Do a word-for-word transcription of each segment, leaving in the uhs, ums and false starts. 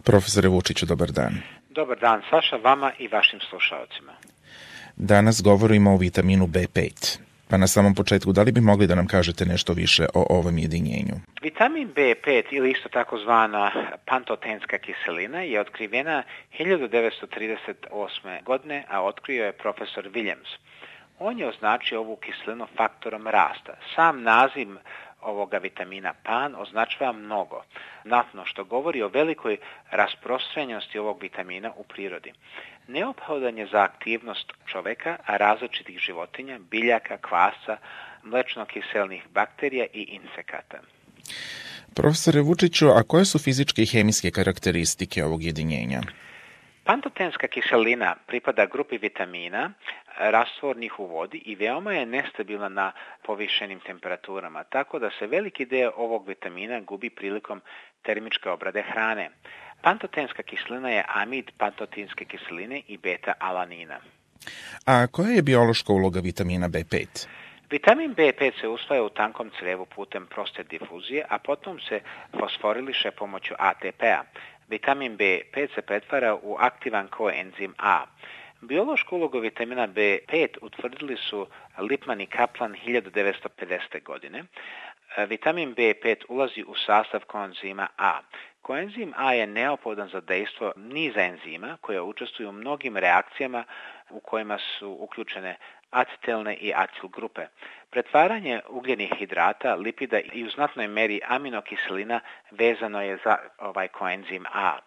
Profesore Vučiću, dobar dan. Dobar dan, Saša, vama i vašim slušalcima. Danas govorimo o vitaminu B pet. Pa na samom početku, da li bi mogli da nam kažete nešto više o ovom jedinjenju? Vitamin B pet, ili isto takozvana pantotenska kiselina, je otkrivena hiljadu devetsto trideset osme. godine, a otkrio je profesor Williams. On je označio ovu kiselinu faktorom rasta. Sam naziv ovoga vitamina pan označava mnogo, znatno, što govori o velikoj rasprostranjenosti ovog vitamina u prirodi. Neophodan je za aktivnost čoveka, a različitih životinja, biljaka, kvasca, mlečno-kiselnih bakterija i insekata. Profesore Vučiću, a koje su fizičke i hemijske karakteristike ovog jedinjenja? Pantotenska kiselina pripada grupi vitamina rastvornih u vodi i veoma je nestabilna na povišenim temperaturama, tako da se veliki deo ovog vitamina gubi prilikom termičke obrade hrane. Pantotenska kiselina je amid pantotinske kiseline i beta-alanina. A koja je biološka uloga vitamina B pet? Vitamin B pet se usvaja u tankom crevu putem proste difuzije, a potom se fosforiliše pomoću A T P-a. Vitamin B pet se pretvara u aktivan koenzim A. Biološku ulogu vitamina B pet utvrdili su Lipman i Kaplan hiljadu devetsto pedesete. godine. Vitamin B pet ulazi u sastav koenzima A. Koenzim A je neophodan za dejstvo niza enzima koje učestvuju u mnogim reakcijama u kojima su uključene acetilne i acil grupe. Pretvaranje ugljenih hidrata, lipida i u znatnoj meri aminokiselina vezano je za ovaj koenzim A.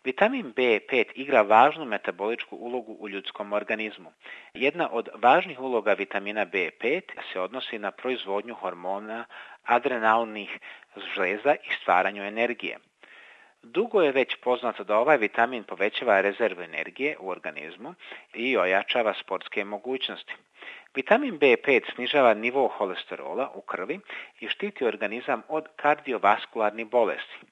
Vitamin B pet igra važnu metaboličku ulogu u ljudskom organizmu. Jedna od važnih uloga vitamina B pet se odnosi na proizvodnju hormona adrenalnih žleza i stvaranju energije. Dugo je već poznato da ovaj vitamin povećava rezervu energije u organizmu i ojačava sportske mogućnosti. Vitamin B pet snižava nivo holesterola u krvi i štiti organizam od kardiovaskularnih bolesti.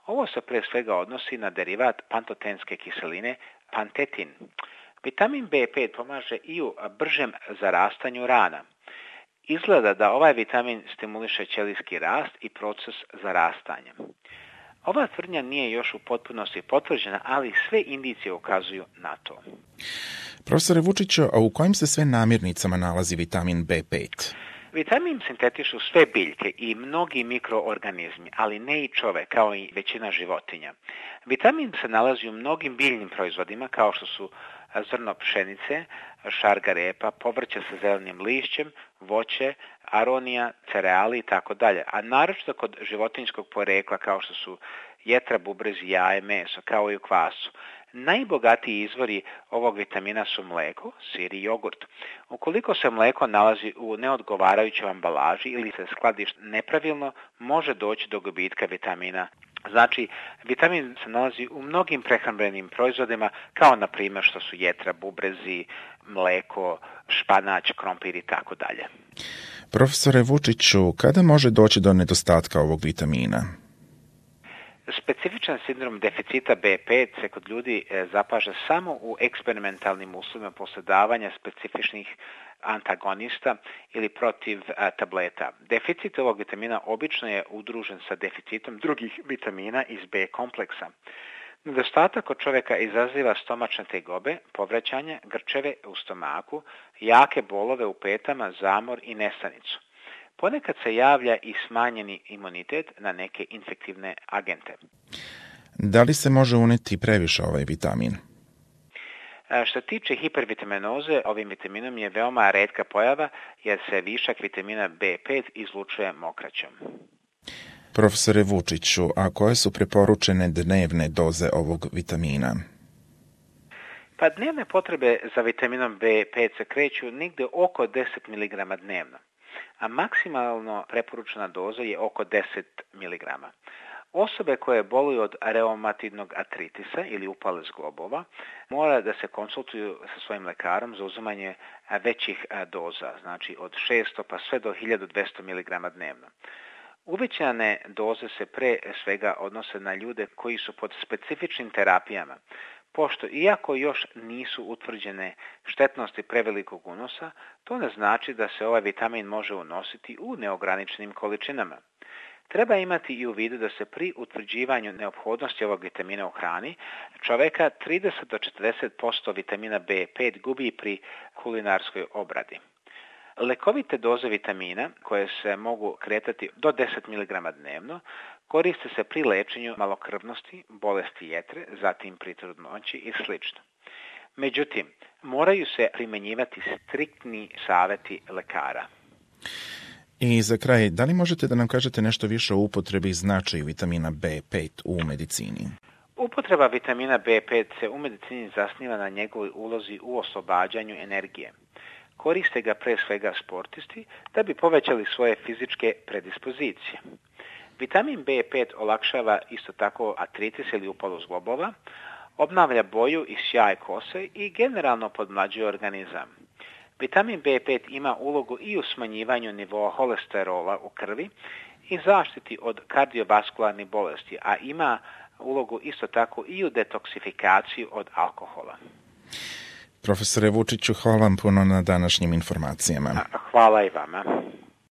Ovo se pre svega odnosi na derivat pantotenske kiseline pantetin. Vitamin B pet pomaže i u bržem zarastanju rana. Izgleda da ovaj vitamin stimuliše ćelijski rast i proces zarastanja. Ova tvrdnja nije još u potpunosti potvrđena, ali sve indicije ukazuju na to. Profesore Vučiću, a u kojim se sve namirnicama nalazi vitamin B pet? Vitamin sintetišu sve biljke i mnogi mikroorganizmi, ali ne i čovek, kao i većina životinja. Vitamin se nalazi u mnogim biljnim proizvodima, kao što su zrno pšenice, šarga repa, povrće sa zelenim lišćem, voće, aronija, cereali i tako dalje, a naročito kod životinjskog porekla, kao što su jetra, bubrezi, jaje, meso, kao i u kvasu. Najbogatiji izvori ovog vitamina su mleko, sir i jogurt. Ukoliko se mleko nalazi u neodgovarajućoj ambalaži ili se skladišti nepravilno, može doći do gubitka vitamina. Znači, vitamin se nalazi u mnogim prehrambenim proizvodima, kao na primjer što su jetra, bubrezi, mleko, španać, krompir i tako dalje. Profesore Vučiću, kada može doći do nedostatka ovog vitamina? Specifičan sindrom deficita B pet se kod ljudi zapaža samo u eksperimentalnim uslovima posle davanja specifičnih antagonista ili protiv a, tableta. Deficit ovog vitamina obično je udružen sa deficitom drugih vitamina iz B kompleksa. Nedostatak kod čoveka izaziva stomačne tegobe, povraćanje, grčeve u stomaku, jake bolove u petama, zamor i nesanicu. Ponekad se javlja i smanjeni imunitet na neke infektivne agente. Da li se može uneti previše ovaj vitamin? Što tiče hipervitaminoze, ovim vitaminom je veoma retka pojava jer se višak vitamina B pet izlučuje mokraćom. Profesore Vučiću, a koje su preporučene dnevne doze ovog vitamina? Pa dnevne potrebe za vitaminom B pet se kreću negde oko deset miligrama dnevno, a maksimalno preporučena doza je oko deset miligrama. Osobe koje boluju od reumatidnog artritisa ili upale zglobova mora da se konsultuju sa svojim lekarom za uzimanje većih doza, znači od šesto pa sve do hiljadu dvesta miligrama dnevno. Uvećane doze se pre svega odnose na ljude koji su pod specifičnim terapijama, pošto iako još nisu utvrđene štetnosti prevelikog unosa, to ne znači da se ovaj vitamin može unositi u neograničenim količinama. Treba imati i u vidu da se pri utvrđivanju neophodnosti ovog vitamina u hrani čoveka trideset do četrdeset posto vitamina B pet gubi pri kulinarskoj obradi. Lekovite doze vitamina, koje se mogu kretati do deset miligrama dnevno, koriste se pri lečenju malokrvnosti, bolesti jetre, zatim pri trudnoći i sl. Međutim, moraju se primjenjivati striktni savjeti lekara. I za kraj, da li možete da nam kažete nešto više o upotrebi i značaju vitamina B pet u medicini? Upotreba vitamina B pet se u medicini zasniva na njegovoj ulozi u oslobađanju energije. Koriste ga pre svega sportisti da bi povećali svoje fizičke predispozicije. Vitamin B pet olakšava isto tako artritis ili upalu zglobova, obnavlja boju i sjaj kose i generalno podmlađuje organizam. Vitamin B pet ima ulogu i u smanjivanju nivoa holesterola u krvi i zaštiti od kardiovaskularnih bolesti, a ima ulogu isto tako i u detoksifikaciji od alkohola. Profesore Vučiću, hvala vam puno na današnjim informacijama. Hvala i vama.